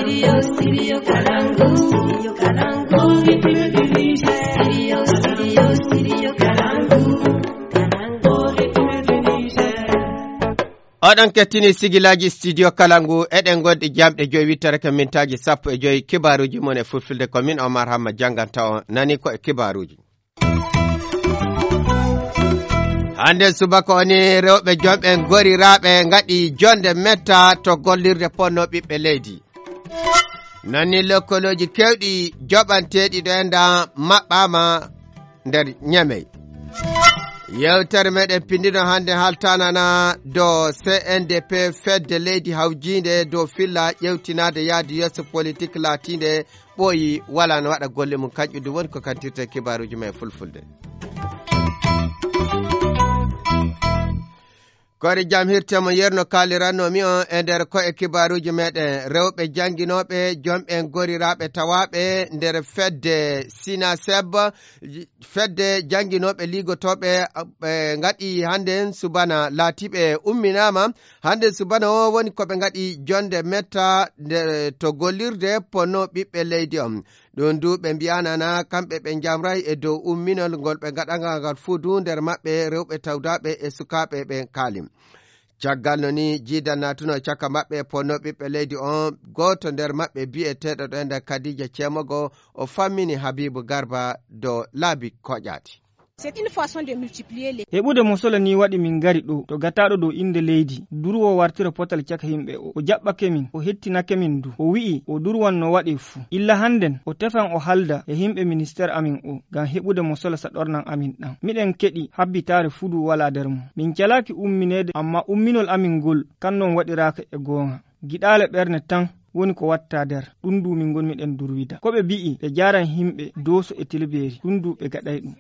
Studio Kalangu. Studio Kalangu. Studio Kalangu. Oɗon kettini sigilaji studio Kalangu eɗen gonɗi jamɗe 8:15 kibaruji mon e fulfulde komin Omar Hamma janganta on nani ko e kibaruji. Hande subaka oni rewɓe jomɓe goriraɓe ngaɗi jonde metta to gollirde ponno ɓiɓɓe leydi. Nani lokkoloji kewɗi joɓanteɗi ɗo enda maɓɓama nder Ñamey. Yewtere meɗen pindino hande haltanana do CNDP fedde leydi hawjinde do filla ƴewtinade yaadi yesso politique latinde ɓooyi wala no waɗa golle mum kañƴude woni ko kantirte kibaruji men fulfulde. Kori jam hirtemo yerno kalirannomi on e nder ko e kibaruji meɗen rewɓe janginoɓe jomɓe goriraɓe tawaɓe nder fedde Sinaseb fedde janginoɓe ligotoɓe ngaɗi hande subana laatiɓe umminama hande subana o woni koɓe ngaɗi jonde metta to gollirde ponno ɓiɓɓe leydi on ɗon du ɓe mbiyanana kamɓe ɓe jamray e dow umminol ngol ɓe gaɗagal ngal fuudu nder maɓɓe rewɓe tawdaɓe e sukaɓe ɓe kalim. Caggal no ni jiidan natuno caka maɓɓe ponno ɓiɓɓe leydi on goto nder maɓɓe bi'eteɗo ɗo nder Kadija Cemogo o fammini Habibu Garba do laabi koƴati. Heɓude mosola ni waɗi min gari ɗo to gataɗo dow inde leydi durwo wartira potal caka himɓe o jaɓɓake min o hettinake min du o wi'i o durwan no waɗi fuu illa handen o tefan o halda e himɓe ministére amin o ngam heɓude mosola saɗornan amin ɗam miɗen keɗi habbitare fudu wala nder mum min calaki umminede amma umminol amin ngol kannon waɗiraka e goonga giɗale ɓerne tan woni ko watta nder ɗum du min gonmiɗen durwida ko ɓe bi'i ɓe jaran himɓe doso e tilberi ɗum du ɓe gaɗay ɗum.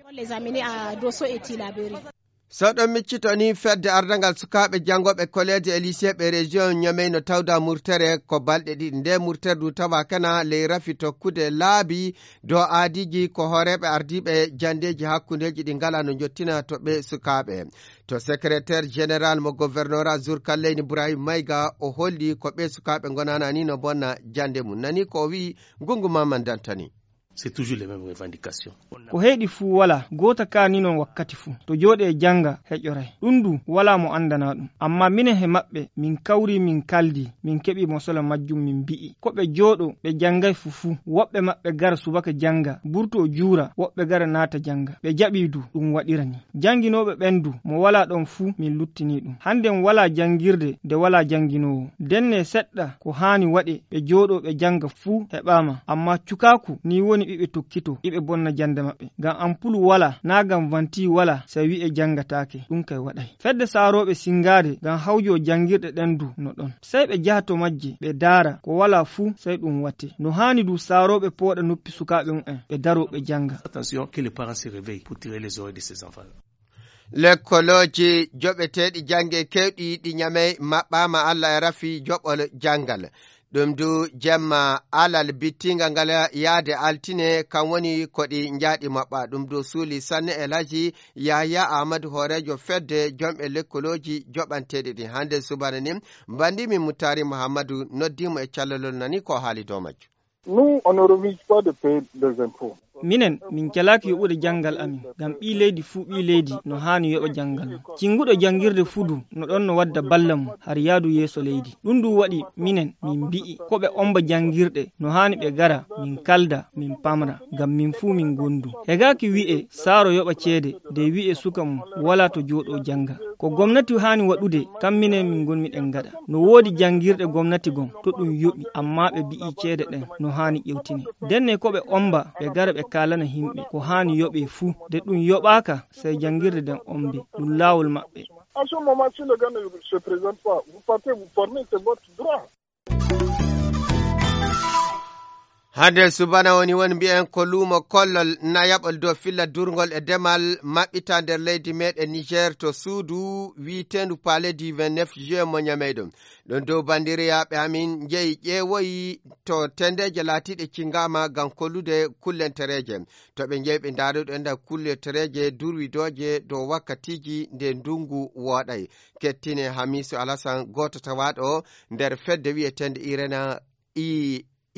Sawɗon miccito ni fedde ardangal sukaɓe jangoɓe collège e lycée ɓe région Ñamey no tawda murtere ko balɗe ɗiɗi nde murtere du tawa kana ley rafi tokkude laabi dow aadiji ko horeɓe ardiɓe jandeji hakkundeji ɗi ngala no jottina to ɓe sukaɓe to secrétaire général mo gouvernorat Zurkalleyni Ibrahim Mayga o holli ko ɓe sukaɓe gonana ni no bonna jande mum nani ko wi Gungu Maman Dantani. C'est toujours les mêmes revendications. Ko heedi fuu wala gota ka ni non wakkati fuu to jooɗe janga heƴoray ɗum du wala mo andana ɗum amma minen he maɓɓe min kawri min kaldi min keɓi mosola majjum min bi'i ko ɓe jooɗo ɓe jangay fufu woɓɓe maɓɓe gara subaka janga burto juura woɓɓe gara naata janga ɓe jaɓi du ɗum waɗirani janginoɓe ɓendu mo wala ɗon fuu min luttini ɗum handen wala jangirde nde wala janginowo denne seɗɗa ko hani waɗe ɓe jooɗo ɓe janga fuu heɓama amma cukaku ni woni ɓiɓe tokkito ɓiɓe bonna jande maɓɓe ngam ampulu wala na gam vanti wala so wi'e jangatake ɗum kay waɗay fedde saaroɓe singade ngam hawjo jangirɗe ɗen du no ɗon sey ɓe jaha to majje ɓe daara ko wala fuu sey ɗum watte no hani du saaroɓe pooɗa noppi sukaɓe mumen ɓe daro ɓe janga. Attention que les parents se réveillent pour tirer les oreilles de ces enfants. Lekkoloji joɓeteɗi jange kewɗi ɗi Ñamey maɓɓama Allah e rafi joɓol jangal ɗum du jemma alal bittinga ngal yaade altine kam woni koɗi njaaɗi maɓɓa ɗum du suuli sanne Elhaji Yahya Ahmadou horejo fedde jomɓe lekkoloji joɓanteɗi ɗi hande subana ni bandimi Mutari Muhammadou noddimo e callalol nani ko haali dow majjo. Nous, on ne refuse pas de payer des impôts. Minen min calaki yoɓude jangal amin ngam ɓi leydi fuu ɓi leydi no hani yoɓa jangal cinguɗo jangirde fudu no ɗon no wadda balla mum har yaadu yeeso leydi ɗum du waɗi minen min mbi'i ko ɓe omba jangirɗe no hani ɓe gara min kalda min pamra ngam min fuu min gondu hegaki wi'e saaro yoɓa ceede de wi'e suka mum wala to jooɗo janga ko gomnati hani waɗude kam minen min gonmiɗen gaɗa no woodi jangirɗe gomnati gon to ɗum yoɓi amma ɓe bi'i ceede ɗen no hani ƴewtine denne ko ɓe omba ɓe gara ɓe kalana himɓe ko hani yoɓe fuu de ɗum yoɓaka sey jangirde den ombe ɗum laawol maɓɓe. À ce moment, si le gars ne se présente pas, vous partez, vous formez, c'est votre droit. hande subana woni mbi'en ko luumo kollol nayaɓol dow filla durgol e demal maɓɓita nder leydi meɗen Niger to suudu wiitendu palais du 29 juin mo Ñameyɗo ɗon dow bandiriyaɓe amin jeeyi ƴeewoyi to tendeje laatiɗe cingama ngam kollude kullentereje to ɓe jeeyi ɓe ndaruɗo enda kullentereje durwidoje dow wakkatiji nde ndungu wooɗay kettine Hamisu Alassane goto tawaɗo nder fedde wi'etende Irena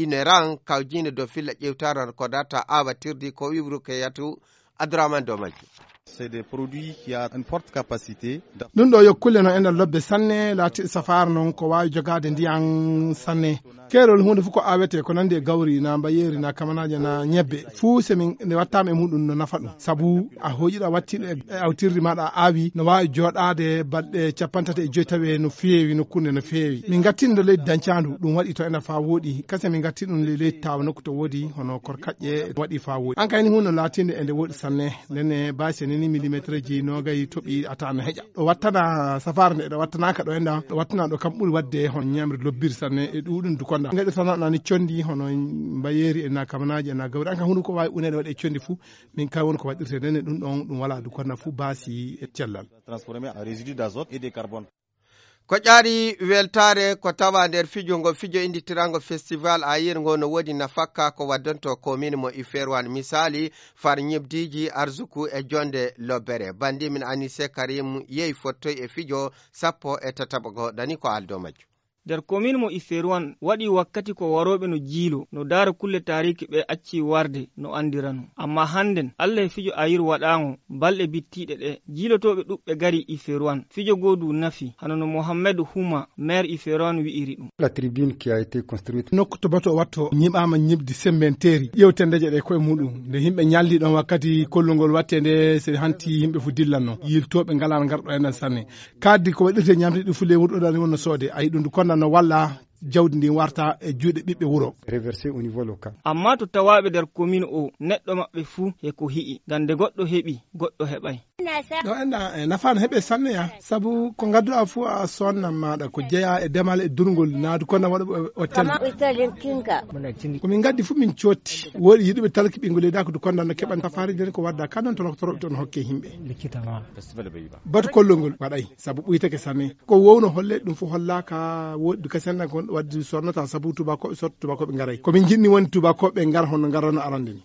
ineran kawjinde dow filla ƴewtaran ko data awatirdi ko wibru ke yatu Abdourahmane Domaji. C'est des produits qui ont une forte capacité. Ɗum ɗo yokkulle no enen lobbe sanne laati safar non ko wawi jogade ndiyan sanne keerol hunde fof ko awete ko nandi e gawri na mbayeri na kamanaje na ñebbe fuu semin nde wattama e muɗum no nafa ɗum sabu a hoƴiɗa wattiɗo e awtirdi maɗa awi no wawi joɗade balɗe 35 tawi no feewi nokkunde no feewi min gattindo leydi dancandu ɗum waɗi to ena fa woɗi kase min gatti ɗum leydi tawa nokku to woodi hono korkaƴƴe waɗi fa woɗi an kayni hunde latinde ende woɗi sanne nene base nini millimétre ji nogayi toɓi ata no heƴa ɗo wattana safar nde ɗo wattanaka ɗo enda ɗo wattana ɗo kam ɓuuri wadde hon ñamre lobbir sanne e ɗuɗum du konda gaɗi tanani condi hono mbayeri ena kamanaji ena gawri an ka hunde ko wawi unede waɗe condi fuu min ka woni ko waɗirte nene ɗum ɗon ɗum wala du konda fuu basi e cellal transformé en résidu d'azote et de carbone. Ko ƴaari weltare ko tawa nder fijo ngo fijo inditirango festival ayirgo no wodi nafakka ko waddonto commune mo Iferwan misali far ñibdiji arzuku e jonde lobbere bandi min Anise Karim yeyi fottoy e fijo 17 dani ko aldo majju nder commune mo Iferwan waɗi wakkati ko waroɓe no jiilo no daara kulle tariki ɓe acci warde no andirano amma hannden Allah e fijo ayir waɗango balɗe bittiɗe ɗe jiilotoɓe ɗuɓɓe gari Iferwan fijo godu nafi hano no Mohamed Huma maire Iferwan wi'iri ɗum. La tribune qui a été construite nokku to bato watto ñiɓama ñibdi semmenteri ƴewtendeje ɗe koye muɗum nde yimɓe ñalli ɗon wakkati kollugol watte nde so hanti yimɓe fu dillanno yiltoɓe ngala garɗo enen sanne kaddi ko waɗirte ñamde ɗi fu lewru ɗo ɗani wonno soode ayi ɗum du konda no walla jawdi ndi warta e juuɗe ɓiɓɓe wuro reversé au niveau local. Amma to tawaɓe nder commune o neɗɗo maɓɓe fuu e ko hi'i gande goɗɗo heɓi goɗɗo heɓay. ɗo enda nafano heeɓe sanne ya sabu ko gadduɗa fuu a sonnan maɗa ko jeeya e demal e durgol naadu konda waɗa o ten komin gaddi fuu min cotti woɗi yiɗuɓe talki ɓingo leyda ko du konda no keɓan safari nden ko wadda kanon tono toroɓe toon hokke himɓe batu kollongol waɗay sabu ɓuytake sanne ko wowno holle ɗum fof hollaka woɗi ka senna ko waddi sonnata sabu tubakoɓe sotto tubakoɓe garay komin jinni woni tubakoɓe gar hono garano arande ni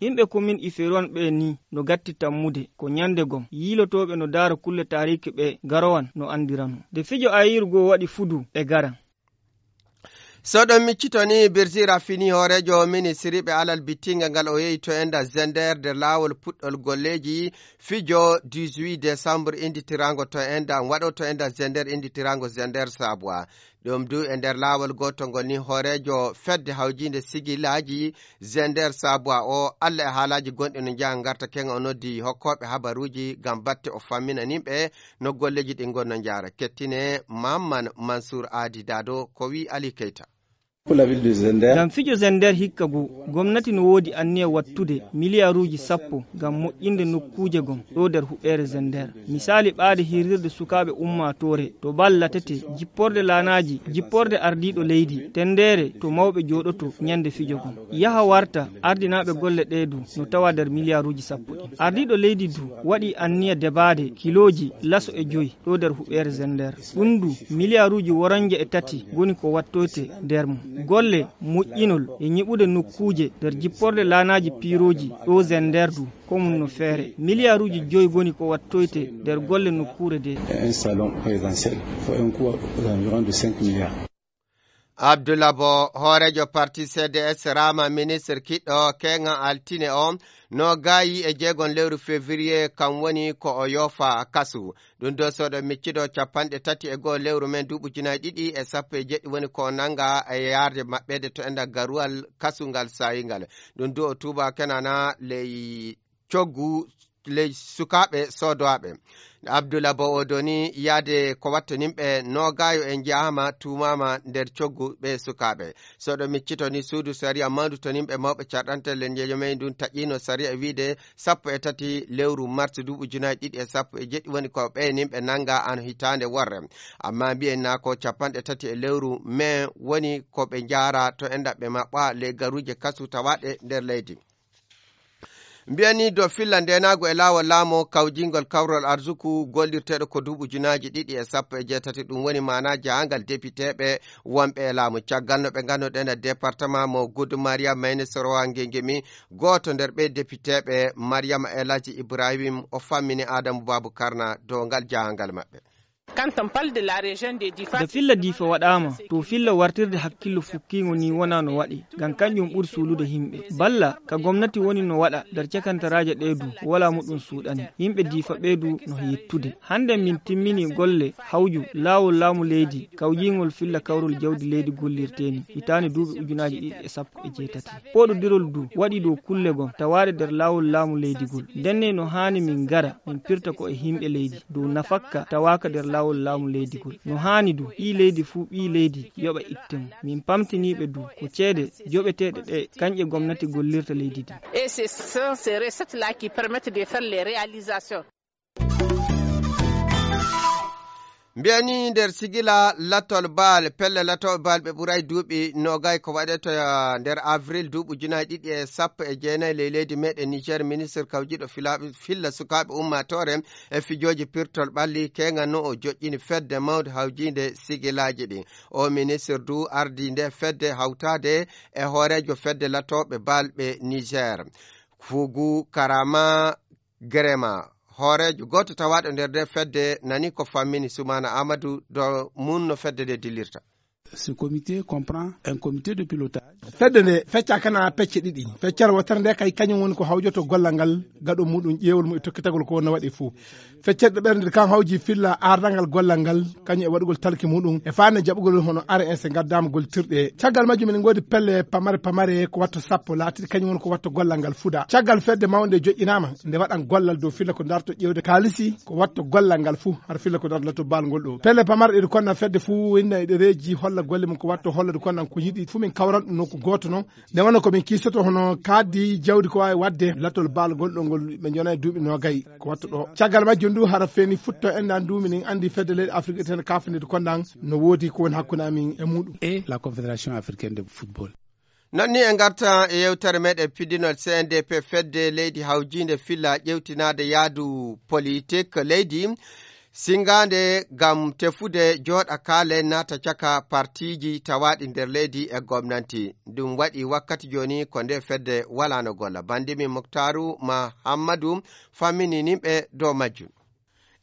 yimɓe commune Iferwan ɓe ni no gatti tammude ko ñande gom yiilotoɓe no daara kulle tariki ɓe garowan no andirano de fijo ayirgo waɗi fudu e garan. So ɗon miccitoni Birsira fini horejo ministry ɓe alal bittinga ngal o yehi to enda Zender nder lawol puɗɗol golleji fijo 18 décembre inditirango to enda waɗo to enda Zender inditirango Zender Sabwa ɗum du e nder lawol gotol ngol ni horejo fedde hawjinde sigilaji Zender Sabwa o Allah e haalaji gonɗe no jaa garta kenga o noddi hokkoɓe habaruji gam batte o fammina nimɓe no golleji ɗi gonno jaara kettine Mamman Mansour Adi Dado ko wi Ali Keita. Gam fijo Zender hikka bo gomnati no wodi anniya wattude miliyaruji 10 gam moƴƴinde nokkuje gom ɗo nder huɓɓere Zender misali ɓaade hirirde sukaɓe ummatore to ballatete jipporde lanaji jipporde ardiɗo leydi tendere to mawɓe joɗoto ñande fijo gom yaha warta ardinaɓe golle ɗeedu no tawa nder miliyaruji 10 ɗi ardiɗo leydi du waɗi anniya debade kiloji laso e joyi ɗo nder huɓɓere Zender ɗum du miliyaruji worange e tati goni ko wattoyte nder mum golle moƴƴinol e ñiɓude nokkuje nder jipporde lanaji piroji ɗo Zender du komun no feere miliyaruji 5 goni ko wattoyte nder golle nokkure de un salon présidentiel faut un coût d'environ de 5 milliards. Abdoulaye Bo horejo parti CDS rama ministre kiɗɗo kenga altine on no gayi e jeegon lewru février kam woni ko o yofa kasu ɗum do soɗo micciɗo 31 lewru men duuɓi 2017 woni ko nanga e yarde maɓɓede to enda garuwal kasungal sayingal ɗum do o tuba kenana ley coggu ley sukaɓe sodoɓe Abdoulaye Bo o doni yaade ko watta nimɓe no gayo en jahama tumama nder coggu ɓe sukaɓe soɗo miccito ni suudu saria mandu to nimɓe mawɓe carɗantelle njeejo men ɗum taƴino saria wiide 13 lewru mars duuɓi 2017 woni ko ɓe nimɓe nanga an hitande worre amma mbiyen na ko 30 lewru mai woni ko ɓe jara to endaɓe maɓɓa le garuje kasu tawaɗe nder leydi. Mbiyani do filla ndenago e lawol laamo kawjingol kawrol arzuku gollirteɗo ko duuɓi 2018 ɗum woni mana jahangal députéɓe wonɓe e laamu caggal no ɓe ganduɗen e département mo Goudou Mariam Mayne Sorowa Ngengemi goto nder ɓe députéɓe Mariama Elaji Ibrahim o fammini Adamou Babou Karna dow ngal jahangal maɓɓe. da filla difa waɗama to filla wartirde hakkillo fukkigo ni wona no waɗi ngam kanjum ɓuri suulude himɓe balla ka gomnati woni no waɗa nder cakantaraje ɗeedu wala muɗum suuɗani yimɓe difa ɓeedu no yettude hande min timmini golle hawju laawol laamu leydi kawjingol filla kawrol jawdi leydi gollirteni hitande duuɓi 2017 poɗodirol du waɗi dow kulle gon tawaɗe nder laawol laamu leydigol denne no hani min gara min pirta ko e himɓe leydi dow nafakka tawaka nder laawol laamu leydigol no hani du ɓi leydi fuu ɓi leydi yoɓa ittemo min pamtiniɓe du ko ceede joɓeteɗe ɗe kanƴe gomnati gollirta leydi ndi. Et ce sont ces recettes-là qui permettent de faire les réalisations. mbiyani nder sigila lattol baal pelle lattol baal ɓe ɓuray duuɓi nogay ko waɗeto nder avril duuɓi 2019 leydi meɗen niger ministre kawjiɗo filla sukaɓe ummatore e fijoji pirtol ɓalli kenga no o joƴƴini fedde mawde hawjinde sigilaji ɗi o ministre du ardi nde fedde hawtade e hoorejo fedde lattoɓe balɓe niger fugu karama grema hoorejo goto tawaɗo nder nde fedde nani ko fammini Soumana Amadou do mun no fedde de dilirta. Ce comité comprend un comité de pilotage. fedde nde fecca kana pecce ɗiɗi feccal wotere nde kay kañum woni ko hawjoto gollal ngal gaɗo muɗum ƴeewol mu e tokkitagol ko wonno waɗi fuu feccere ɓernde kan hawji filla ardangal gollal ngal kañum e waɗugol talki muɗum e fande jaɓugol hono RS gaddama goltirɗe caggal majjum min godi pelle pamare ko watto sappo laatiɗi kañum woni ko watto gollal ngal fuda caggal fedde mawde joƴƴinama nde waɗan gollal dow filla ko darto ƴewde kalisi ko watto gollal ngal fuu har filla ko darto bal ngol ɗo pelle pamare ɗiɗi konna fedde fuu winna e ɗereji holla golle mum ko watto hollade konnan ko yiɗi fu min kawran ɗum nokku goto no nde wonno komin kiisoto hono kaddi jawdi ko wawi wadde lattol baal gonɗo ngol ɓe jona e duuɓi nogayi ko watto ɗo caggal majjum ndu hara feni futto endan du minin andi fedde leydi afrique ten kafnide konnan no woodi ko woni hakkude amin e muɗum et la confédération africaine de football. nonni en garta e yewtere meɗen pidinol CNDP fedde leydi hawjinde filla ƴewtinade yaadu politique leydi singande gam tefude joɗa kaale nata caka partiji tawaɗi nder leydi e gomnati ɗum waɗi wakkati joni ko nde fedde walano golla bandimi Moktaru Mahamadou fammininiɓe dow majjum.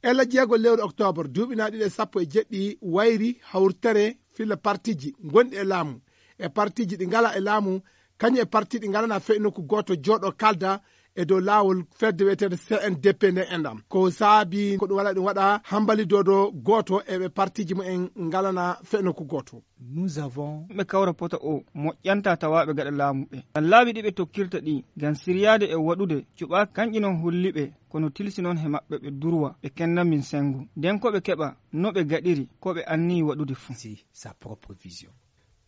ella jeegol lewru octobre duuɓinaɗiɗi e 17 wayri hawrtere filla partiji gonɗi e laamu e partiji ɗi ngala e laamu kañum e parti ɗi ngalana fe'i nokku goto jooɗo kalda e dow laawol fedde wiyetede CNDP nde endam ko saabi ko ɗum waɗa ɗum waɗa hambalidodo goto eɓe partiji mumen ngalana fe'i nokku goto. Nous avons ɓe kawra pota o moƴƴanta tawaɓe gaɗa laamu ɓe laaɓi ɗi ɓe tokkirta ɗi ngam siriyade e waɗude cuɓa kanƴi non holliɓe kono tilsi noon he maɓɓe ɓe durwa ɓe kenna min sengu nden ko ɓe keɓa no ɓe gaɗiri ko ɓe anni waɗude fuu sa propre vision.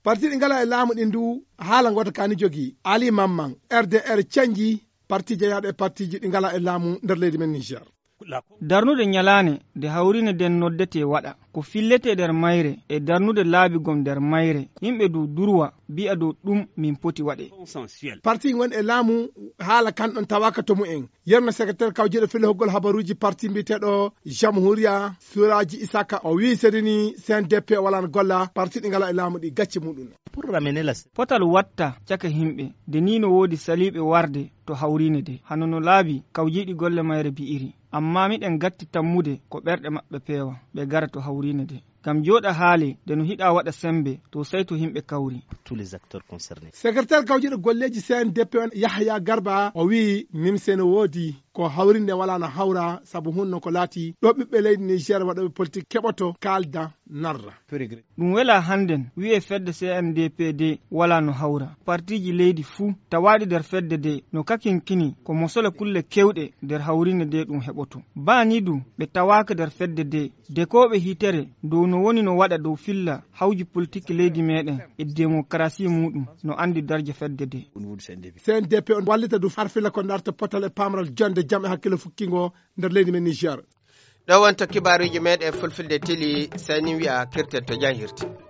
parti ɗi ngala e laamu ɗi ndu haala goto kani jogui Ali Mamman RDR canji parti jeeyaɗo e partiji ɗi ngala e laamu nder leydi men Niger. darnude ñalane nde hawrine nden noddete waɗa ko fillete nder mayre e darnude laabigom nder mayre yimɓe du durwa mbi'a dow ɗum min poti waɗe. parti woni e laamu haala kanɗon tawaka to mumen yerno secrétaire kawjiɗo fille hoggol habaruji parti mbiteɗo Jamhouria Suraji Isaka o wi sedini CNDP walano golla parti ɗi ngala e laamu ɗi gacce muɗum potal watta caka himɓe de ni no woodi saliɓe warde to hawrine de hano no laabi kawjiɗi golle mayre bi'iri amma miɗen gatti tammude ko ɓerɗe maɓɓe peewa ɓe gara to hawrine de gam joɗa haali de no hiɗa waɗa sembe to sey to himɓe kawri. tous les acteurs concernés. secrétaire kawjiɗo golleji CNDP on Yahya Garba o wi nimse no woodi ko hawrinde wala no hawra sabu hunno ko laati ɗo ɓiɓɓe leydi Niger waɗoɓe politique keɓoto kalda narra. ɗum wela hannden wi'e fedde CNDP de wala no hawra partiji leydi fuu tawaɗi nder fedde de no kakinkini ko mosole kulle kewɗe nder hawrinde de ɗum heɓoto bani du ɓe tawaka nder fedde de koɓe hitere dow no woni no waɗa dow filla hawji politique leydi meɗen e démocratie muɗum no andi darje fedde de. CNDP on wallita du farfilla ko darta potal e pamral jonde jam e hakkille fukkingo nder leydi men Niger. ɗo wonta kibaruji meɗen fulfilde tili sani wi'a kirten to jahirti.